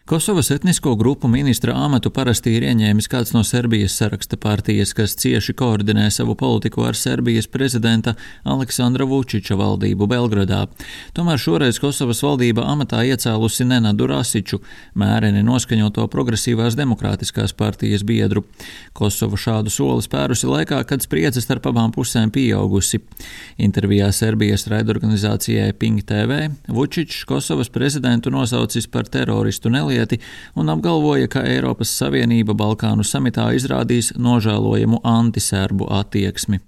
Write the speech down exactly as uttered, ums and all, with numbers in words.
Kosovas etnisko grupu ministra amatu parasti ir ieņēmis kāds no Serbijas saraksta partijas, kas cieši koordinē savu politiku ar Serbijas prezidenta Aleksandra Vučiča valdību Belgradā. Tomēr šoreiz Kosovas valdība amatā iecēlusi Nenadu Rasiču, mēreni noskaņoto progresīvās demokrātiskās partijas biedru. Kosova šādu soli spērusi laikā, kad spriedze starp abām pusēm pieaugusi. Intervijā Serbijas raidorganizācijai Pink T V Vučičs Kosovas prezidentu nosaucis par teroristu nelielu un apgalvoja, ka Eiropas Savienība Balkānu samitā izrādīs nožēlojamu antiserbu attieksmi.